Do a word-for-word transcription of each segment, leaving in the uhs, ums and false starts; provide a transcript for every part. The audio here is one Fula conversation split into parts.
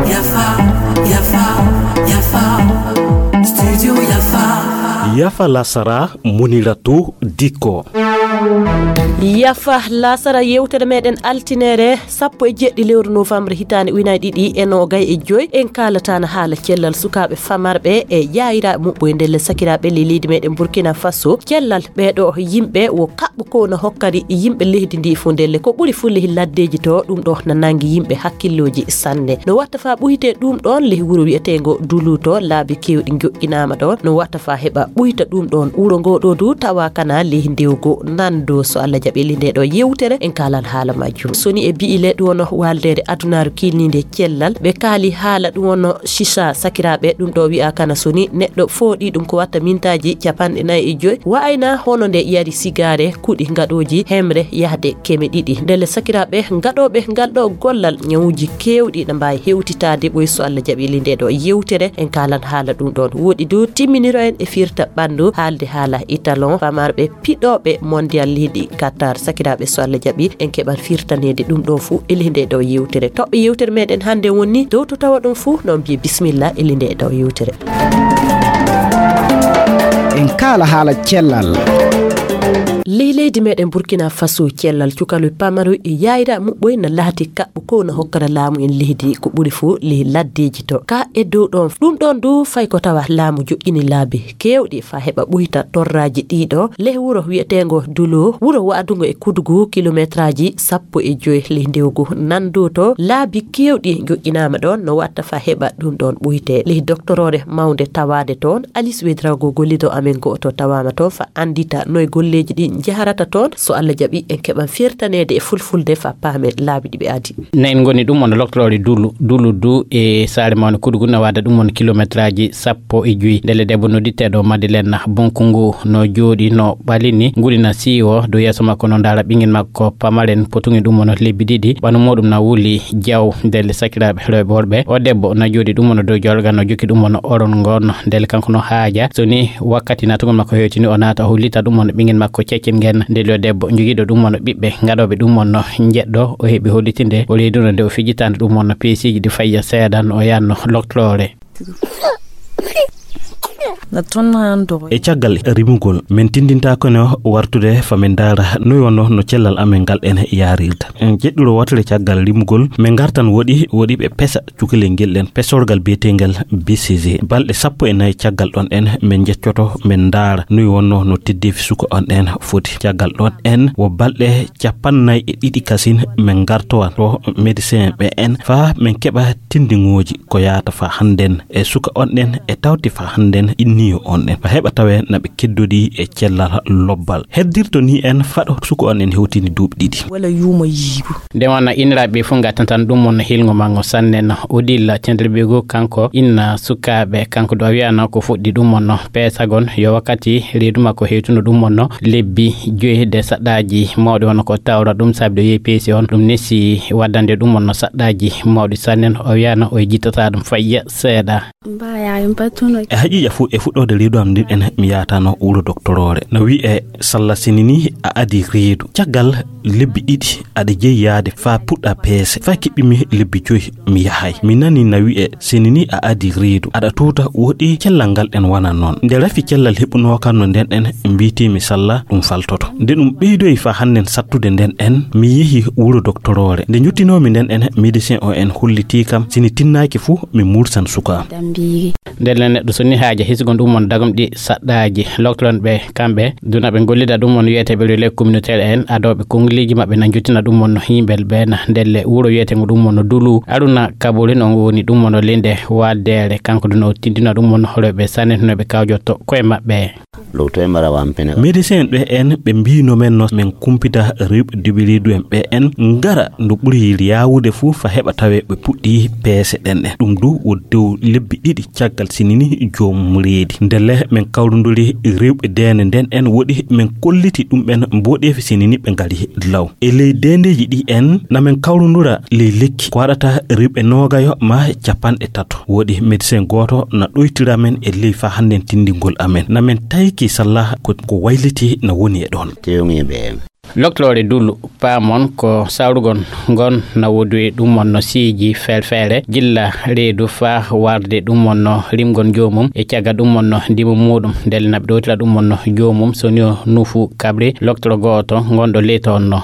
Yafa, yafa, yafa. Studio yafa. Yafa lasara, Muniratu Dikko. Yafa lasara, yewtere meɗen altinere sappo e jeɗɗi lewru novembre hitaande ujunaaji ɗiɗi e noogay e joy. En kaalata na haala cellal sukaaɓe famarɓe e yaayiraaɓe muɓɓoye ndelle sakiraaɓe ley leydi meɗen Burkina Faso. Cellal ɓeeɗo yimɓe wo kaɓɓo ko no hokkari yimɓe leydi ndi fof ndelle ko ɓuri fof ley laddeeji to, ɗum ɗo na nangi yimɓe hakkillooji sanne. No watta fa ɓuyte ɗum ɗon ley wuro wi'eteengo Duluto, laabi keewɗi njoƴƴinaama ɗon. No watta fa heɓa ɓuyta ɗum ɗon wuro ngo ɗo du tawa kana ley ndewgo nando. So Allah jaɓi ley nde ɗo yewtere en kaalan haala majjum. Soni e bi'i le ɗum wono waaldeere adunaaru kiilniinde cellal. Ɓe kaali haala ɗum wono shisha sakiraaɓe, ɗum ɗo wi'a kana soni neɗɗo fooɗi ɗum ko watta mintaaji capanɗe nayi e joy. Wa'ayna hono nde yari sigaare, kuɗi ngaɗooji hemre yahde keme ɗiɗi. Ndelle sakiraaɓe ngaɗooɓe ngal ɗo gollal ñawuji keewɗi na mbaawi hewtitaade ɓoy so Allah jaɓi ley nde ɗo yewtere en kaalan haala ɗum ɗon. Woɗi du timminiro en e firta ɓanndu haalde haala italon famarɓe piɗooɓe mondial leydi Qatar. Sakiraaɓe so Allah jaɓi en keɓan firtaneede ɗum ɗo fuu e ley nde ɗo yewtere. Toɓɓe yewtere meɗen hannde woni dow to tawa ɗum fuu no mbiye bisimilla e ley nde ɗo yewtere. En kaala haala cellal. Ley leydi meɗen Burkina Faso cellal cukaloy pamaroy e yaayira muɓɓoy na laati kaɓɓo ko na hokkara laamu en leydi ko ɓuri fuu ley laddeeji to. Ka e dow ɗon, ɗum ɗon du fay ko tawa laamu joƴƴini laabi keewɗi fa heɓa ɓuyta torraaji ɗiɗo ley wuro wi'eteengo Dulo, wuro wa'adungo e kudugu kilometraaji sappo e joy ley ndewgu. Nanndo to laabi keewɗi joƴƴinaama ɗon no watta fa heɓa ɗum ɗon ɓuyte. Ley doktoroore mawnde tawaade toon, Alice Wedrago gollido amen go'oto tawaama toon fa anndita noy golleeji ɗin njaharata toon. So Allah jaɓi en keɓan firtaneede e fulfulde fa paamen laabi ɗi ɓe adi. Nayin ngoni ɗum on loktorooɗe Dulu, Dulu du e saare mawnde Kudugu na waada ɗum on kilometraaji sappo e joy. Ndelle debbo nodditeeɗo Madeleine Bonkungu no jooɗi no ɓalini nguri na siiwo dow yeeso makko no ndaara ɓingel makko pamaren potungel ɗum on lebbi ɗiɗi. Ɓandu muɗum na wuli jaw. Ndelle sakiraaɓe rewɓe worɓe, o debbo na jooɗi ɗum on dow jorga no jokki ɗum on oron ngon. Ndelle kanko no haaja so ni wakkati naatugol makko hewtini o naata o hollita ɗum on ɓingel makko ceccel ngen. Ndelle o debbo jogiiɗo ɗum on ɓiɓɓe ngaɗooɓe ɗum on njeɗɗo o heɓi hollitinde o leyduno nde o fijitande ɗum on peesiiji ɗi fayya seeɗa no o yaanno loktoore. E caggal rimugol, min tindintaako no wartude fa min ndaara noy wonno no cellal amen ngal en yaarirta. En jeɗɗiro wootere caggal rimugol, min ngartan woɗi, woɗi ɓe pesa cukalel ngel ɗen pesorgal biyetegal B C G. Balɗe sappo e nayi caggal ɗon en, min jeccoto, min ndaara noy wonno no teddeefi suka on en foti. Caggal ɗon en, wo balɗe capannay e ɗiɗi kasin, min ngartowa to médecin ɓe en, fa min keɓa tindingooji ko yaata fa hannden e suka on ɗen e tawti fa hannden inniyo on ɗen. Fa heɓa tawe na ɓe keddodi e cellal lobbal. Heddirto ni en faɗo suka on ɗen hewtini duuɓi ɗiɗi. Wala yuuma yiigo. Nde wona iniraaɓe fof ngattantan ɗum on hilngo mango sanne no. Odila Cenderbego kanko inna sukaaɓe, kanko do wiyano ko fuɗɗi ɗum on no. Peesagon yo wakkati reedu makko hewtuno ɗum on no. Lebbi joyi de saɗɗaaji mawɗi wona ko tawra ɗum saabi ɗo yehi peesi on. Ɗum nesi waddande ɗum on no saɗɗaaji mawɗi sanne no. O wiyano o jittata ɗum fayya seeɗa. E haqiiqa fof e fuɗɗoode reedu am ndin en mi yahatano wuro doktoroore. No wi'e salla sini ni a adi reedu. Caggal lebbi ɗiɗi aɗa jeyi yaade faa puɗɗa peese. Faa kiɓɓimi lebbi joyi mi yahay. Mi nani na wi'e sini ni a adi reedu. Aɗa tuuta woɗi cellal ngal ɗen wana noon. Nde rafi cellal heɓunoo kam no nden en mbiitiimi salla ɗum faltoto. Nde ɗum ɓeydoyi faa hannden sattude nden en mi yehi wuro doktoroore. Nde njottinoomi nden en médecin o en hollitii kam sini tinnaaki fuu mi mursan suka am. Ndelle neɗɗo so ni haaja hisgo ɗum on dagom ɗi saɗɗaaji. Loktoron ɓe kamɓe duna ɓe gollida ɗum on wiyeteɓe relais communautaire en adooɓe konngileeji maɓɓe na njottina ɗum on no himbel ɓe na ndelle wuro wiyetengo ɗum on no Dulu. Aruna Kabolin on woni ɗum on no linde waddere kanko duna o tindina ɗum on no rewɓe sanne no ɓe kawjotto koye maɓɓe. Médecin ɓe en ɓe mbino men no min kumpita rewɓe duɓi reedu en ɓe en ngara ndu ɓuri yaawude fuu fa heɓa tawe ɓe puɗɗi peese ɗen ɗen. Ɗum du wo dow lebbi ɗiɗi caggal sinini joom reedi. Ndelle min kawrunduri rewɓe deende nden en woɗi min kolliti ɗum ɓen mboɗeefi sinini ɓe ngari law. E ley deendeeji ɗi en na min kawrundura ley lekki ko waɗata rewɓe noogayo ma capanɗe tato. Woɗi médecin gooto na ɗoytira men e ley fa hannden tindingol amen. Na min tayki salla ko, ko wayliti na woni e ɗon. Tewŋiiɓe en. Loktoore dulu, paamon ko sawrugol ngon na woodi e ɗum wonno siiƴi feere-feere, gilla reedu faa warde ɗum wonno rimgol joomum, e caggal ɗum wonno ndimu muuɗum, ndelle na ɓe ɗowtira ɗum wonno joomum, so ni o nuufu kaɓri, loktoro gooto ngonɗo leydi on no.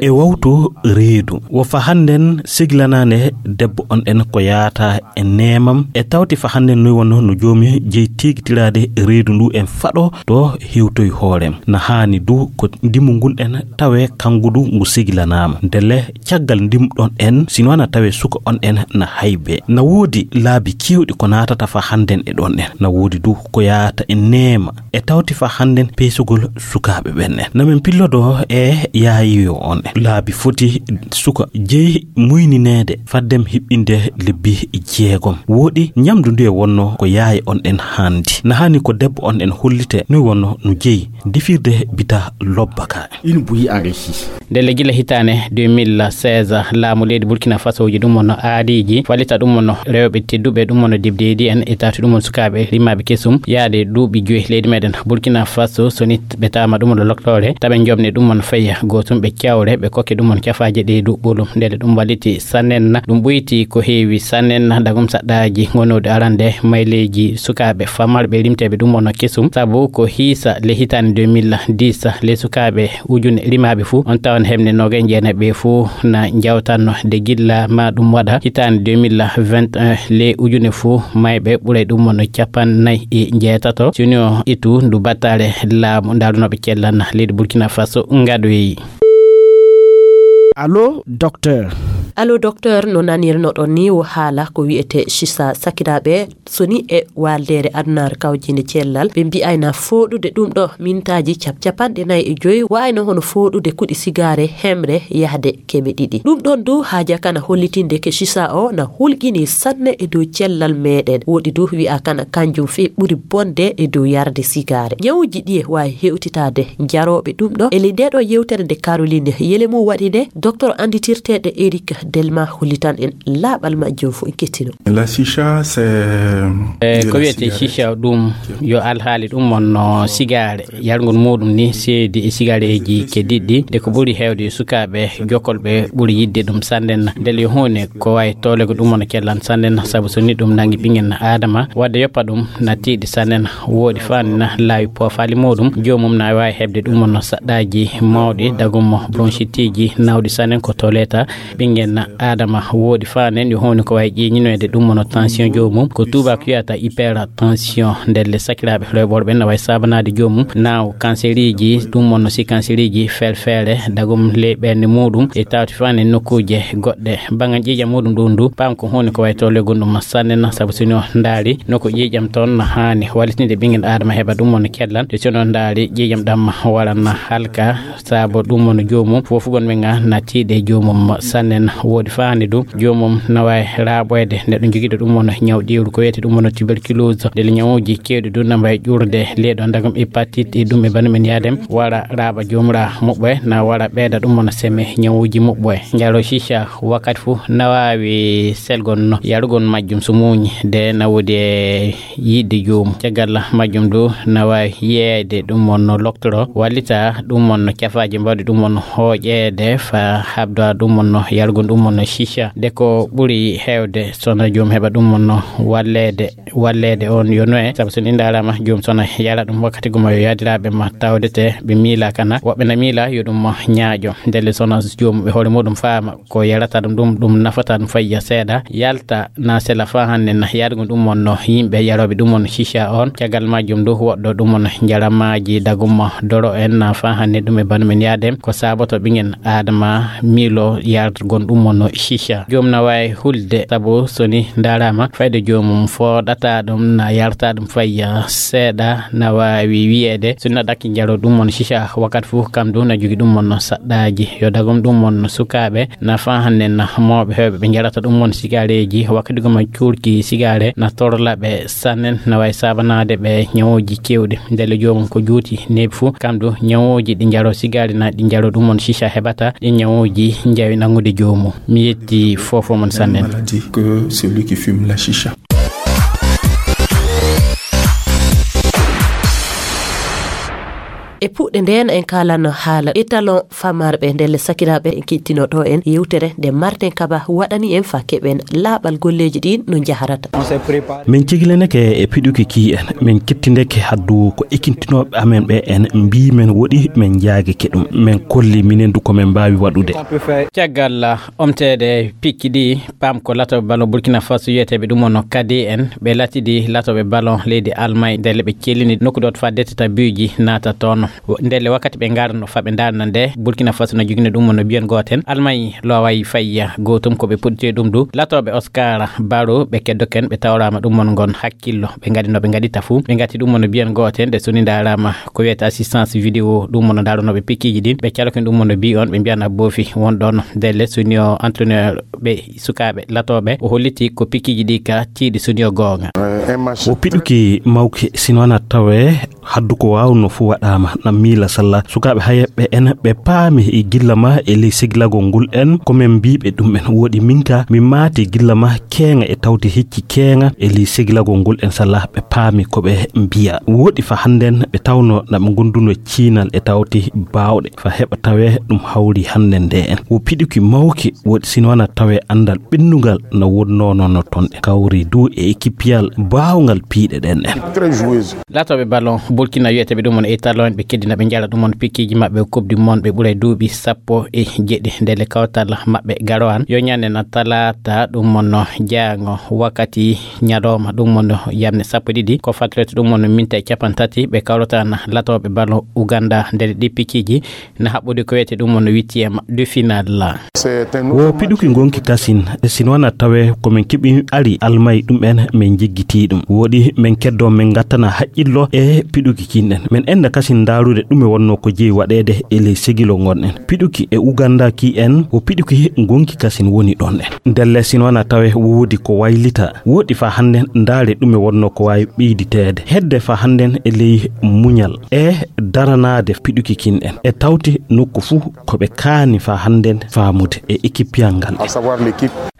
E wawtu reedu, wo fa hannden seglanaande debbo on en ko yaata e neemam, e tawti fa hannden noy wonno no joomi jeyi teegitiraade reedu ndu en faɗo to hewtoy hoorem. Na haani du ko ndimu ngun en tawe kangu du ngu seglanaama. Ndelle caggal ndimu ɗon en, sino na tawe suka on en na haybe. Na woodi laabi keewɗi ko naatata fa hannden e ɗon en. Na woodi du ko yaata e neema. E tawti fa hannden peesugol sukaaɓe ɓen en. Na men pillodo e yaayiyo on en. Laabi foti suka jeyi muynineede faddem hiɓɓinde lebbi jeegom. Woodi ñamdu ndu e wonno ko yaaye on en handi. Na haani ko debbo on en hollite no wonno no jeyi defirde bita lobba ka. Une bouillie enrichie. Ndelle gila hitaande deux mille seize, laamu leydi Burkina Faso ji ɗum wonno aadiiji, fallita ɗum wonno rewɓe tedduɓe, ɗum wonno debdeedi en, e taati ɗum won sukaaɓe rimaaɓe kesum, yaade duuɓi joyi leydi meɗen Burkina Faso, so ni ɓe taama ɗum wonno loktoore, taɓe jomne ɗum wonno feya gootum, ɓe cawre, ɓe kokke ɗum wonno cafaaje ɗe du ɓolum. Ndelle ɗum walliti sannen, ɗum ɓoyti ko heewi sannen, dagum saɗɗaaji gonooɗi arande mayleeji sukaaɓe famarɓe rimteeɓe ɗum wonno kesum, sabu ko hiisa le hitaande deux mille dix, le sukaaɓe ujune rimaaɓe fuu, on tawan hemne noogay jeenaɓe fuu na njawtanno de gilla ma ɗum waɗa hitaande deux mille vingt et un, le ujune fuu mayɓe ɓuray ɗum wonno cappannayi e njeetato. Sini o itu ndu battare laamu ndaalunooɓe cellan leydi Burkina Faso ngaɗoyi. Allo, docteur. Allo, docteur, no nanirnoɗon ni wo haala ko wi'ete sisa sakiraaɓe, so ni e waaldeere adunaare kawjinde cellal, ɓe mbi'ayna fooɗude ɗum ɗo mintaaji cap-, capanɗe nayi e joyi, wa'ayno hono fooɗude kuɗi sigaare hemre yahde keɓe ɗiɗi. Ɗum ɗon du haaja kana hollitinde ke sisa o na hulƴini sanne e dow cellal meɗen. Woɗi du wi'a kana kanjum fii ɓuri bonde e dow yarde sigaare. Ñawuji ɗiye waawi hewtitaade jarooɓe ɗum ɗo? Eli nde ɗo yewtere nde Caroline Yelemu waɗi nde, docteur anditirteeɗe Eric Delma hollitan en laaɓal majjum fof en kettino. La chicha, c'est, eh, de ko la wiyete cigarette. Chicha ɗum yo alhaali ɗum wonno sigaare. Yargol muɗum ni seedi e sigareeji keddiɗi, de ko ɓuri heewde e sukaaɓe jokolɓe ɓuri yidde ɗum sannden. Ndel yo huune ko wayi tolego ɗum wona kellan sannden, sabu so ni ɗum nangi ɓingen Adama, wadde yoppa ɗum na tiiɗi sannden, woɗi faan na laawi poofaali muɗum, joomum na waawi heɓde ɗum wonno saɗɗaaji mawɗi, dagum mo bronchitiji nawɗi sannden ko toleta. Ɓingen Adama woɗi faan en yo huune ko wayi ƴeeñinoyde ɗum wonno tension joomum, ko tuubaako wiyata hypertension. Ndelle sakiraaɓe rewɓe worɓe na wayi saabanaade joomum naaw kanseriji, ɗum wonno si kanseriji feere-feere, dagum ley ɓernde muɗum e tawti faan e nokkuuje goɗɗe. Bangan ƴiiƴam muɗum ɗum du, paam ko huune ko wayi tolego ɗum sannden, sabu sino ndaari nokku ƴiiƴam toon na haani wallitinde ɓingen Adama heɓa ɗum wonno kellan, de sino ndaari ƴiiƴam ɗam waran na halka, sabu ɗum wonno joomum, fofugon ɓe nga na tiiɗe joomum sannden. Woɗi faan e ɗum, joomum na wayi raaɓoyde neɗɗo jogiiɗo ɗum wonno ñaw ɗiwru ko wiyete ɗum wonno tuberculose. Ndelle ñawuji keewɗi ɗum na mbayi ƴurde leyɗo dagam hépatite e ɗum e bandu men yaadem, wara raaɓa joomum ra moɓɓoye, na wara ɓeyda ɗum wonno seme ñawuji moɓɓoye. Njaro chicha wakkati fof na waawi selgon no yarugol majjum so muuñi, de na woodi e yiɗde joomum. Caggal majjum du na waawi yeeyde ɗum wonno loktoro, wallita ɗum wonno cafaaji mbawɗi ɗum wonno hooƴeede fa habda ɗum wonno yarugol ɗum wonno chicha. De ko ɓuri heewde sona joom heɓa ɗum wonno walleede, walleede on yo noye, sabu so ni ndaarama joom sona yara ɗum wakkati guma yo yaadiraaɓe ma tawdete ɓe miila kana. Woɓɓe na miila yo ɗum ñaaƴo. Ndelle sona joom ɓe hoore muɗum faama ko yarata ɗum, ɗum, ɗum nafata ɗum fayya seeɗa, yalta na sela faa hannde na yaadugol ɗum wonno yimɓe yarooɓe ɗum wonno chicha on. Caggal majjum du woɗɗo ɗum wonno njaramaaji dagum doro en na faa hannde ɗum e bandu men yaadem ko saaboto ɓingen Adama miilo yargol ɗum wonno chicha. Joom na waawi hulde sabu so ni ndaarama fayde joomum fooɗata ɗum na yarta ɗum fayya seeɗa na waawi wiyeede so ni na ɗakki njaro ɗum wonno chicha wakkati fof kam du na jogi ɗum wonno saɗɗaaji. Yo dagum ɗum wonno sukaaɓe na faa hannde na mawɓe heewɓe ɓe njarata ɗum won sigareeji, wakkati goma cuurki sigare na torla ɓe sannen, na waawi saabanaade ɓe ñawuuji keewɗi. Ndelle joomum ko juuti neeɓi fuu, kam du ñawuuji ɗi njaro sigare na ɗi njaro ɗum won chicha heɓata, ɗi ñawuuji njawi nanngude joomum. Mi yetti fof mon sannen. Maladie que celui qui fume la chicha. E puɗɗe ndeen en kaalanno haala étalon famarɓe ndelle sakiraaɓe en kittino ɗo en yewtere nde Martin Kaba waɗani en fa keɓen laaɓal golleeji ɗin no njaharata. Min cigilineke e piɗuki ki en, min kittindeke haddu ko ekintinooɓe amen ɓe en mbii men woɗi min njaagike ɗum. Min kolli minen du ko min mbaawi waɗude. Caggal omteede pikki ɗi, pam ko latooɓe ballon Burkina Faso wiyeteeɓe ɗum ono kadi en, ɓe latidi latooɓe ballon leydi Almay, ndelle ɓe cellini nokku ɗo to fa deteta buuji naata toon. Ndelle wakkati ɓe ngarno fa ɓe ndarna nde, Burkina Faso no jogino ɗum ono biyen gooten, Almay loway fayya gootum ko ɓe puɗɗiti ɗum du. Latooɓe Oscar Baro ɓe keddoken, ɓe tawrama ɗum ono ngon hakkillo, ɓe ngadi no ɓe ngadita fuu. Ɓe ngati ɗum ono biyen gooten, nde soni ndarama ko wiyete assistance vidéo, ɗum ono ndaronoɓe pikkiiji ɗin. Ɓe calokin ɗum ono bi on, ɓe mbiyana boofi won ɗon. Ndelle soni o entraîneur ɓe sukaaɓe latooɓe, o holliti ko pikkiiji ɗi ka tiiɗi soni o goonga. O piɗuki mawki sino wana tawe haddu ko waawno fuu waɗaama na miila salla. Sukaaɓe hayeɓɓe en ɓe paami e gilla ma e ley segilagol ngol en ko min mbiiɓe ɗum en. Woɗi min ka mi maati gilla ma keeŋa e tawti hecci keeŋa e ley segilagol ngol en salla ɓe paami ko ɓe mbiya. Woɗi fa hannden ɓe tawno na ɓe ngonduno ciinal e tawti baawɗe fa heɓa tawe ɗum hawri hannden nde en. Wo piɗuki mawki woɗi sino wana tawe anndal ɓennungal na wonnoono no ton e kawri du e ekipiyal baawngal piiɗe ɗen en. Latooɓe ballon Burkina wiyeteeɓe ɗum on e talon ɓe keddina ɓe njala ɗum on pikkiiji maɓɓe Coupe du Monde ɓe ɓuray duuɓi sappo e jeɗɗi ndelle kawtal maɓɓe garo an. Yo ñande na talata ɗum on no jaango wakkati ñalawma ɗum on no yamne sappo e ɗiɗi. Ko fatlete ɗum on no minti e capantati ɓe kawrata na latooɓe ballon Uganda ndelle ɗi pikkiiji na haɓɓude ko wiyete ɗum on no huitième de finale. Wo piɗuki ngonki kasin, sino wana tawe ko min keɓi ari Almay ɗum en min jiggitii ɗum. Woɗi min keddo min ngattana haqqillo e piɗuki kin en. Min enda kasin ndaarude ɗume wonno ko jeyi waɗeede e ley segilo ngon en. Piɗuki e Uganda ki en, wo piɗuki ngonki kasin woni ɗon en. Ndelle sino wana tawe woodi ko waylita, woɗi fa hannde ndaare ɗume wonno ko waawi ɓeyditeede. Hedde fa hannden e ley muñal e daranaade piɗuki kin en. E tawti nokku fuu ko ɓe kaani fa hannden faamude e ekipiyal ngal.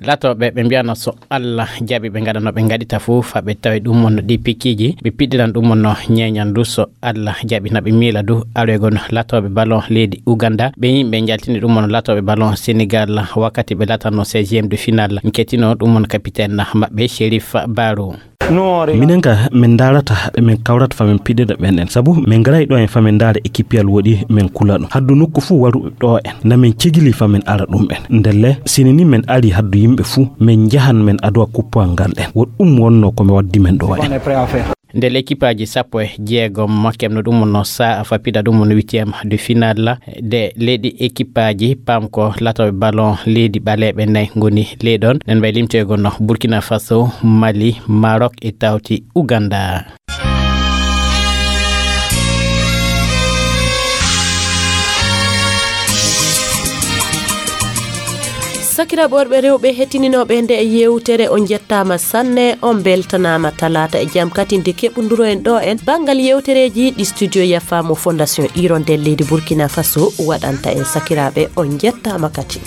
Latooɓe ɓe mbiyano so Allah jaɓi ɓe ngaɗa no ɓe ngaɗita fuu fa ɓe tawi ɗum on no ɗi pikkiiji, ɓe piɗɗiran ɗum on no ñeeñan du so Allah jaɓi na ɓe miila du aroygol latooɓe ballon leydi Uganda. Ɓe yimɓe njaltini ɗum on latooɓe ballon Senegal wakkati ɓe latanno seizième de finale. Kettino ɗum on capitaine maɓɓe Chérif Baro. Minen ka min ndaarata ɓe min kawrata fa min piɗɗiɗa ɓen en. Sabu min ngaray ɗo en fa min ndaara ekipiyal woɗi min kula ɗum. Haddu nokku fuu waru ɗo en. Na min cigili fa min ara ɗum en. Ndelle sini ni min ari haddu yimɓe fuu min njahan min adowa kuppal ngal en. Wo ɗum wonno ko mi waddi min ɗo en. Nde lekipaaji sappo e jeegom kemno ɗum no sa'a fa piɗa ɗum no huitième de finale de leydi ekipaaji pam ko latoɓe ballon leydi ɓaleeɓe nayi ngoni leyɗon. Nen mbay limtoygol no Burkina Faso, Mali, Maroc e tawti Uganda. Sakiraaɓe worɓe rewɓe hettininooɓe nde e yewtere, on njettaama sanne, on mbeltanaama. Talaata e jam katinde keɓunduro en ɗo en banngal yewtereeji ɗi studio Yafa mo Fondation Hirondelle leydi Burkina Faso waɗanta en. Sakiraaɓe, on njettaama kadi.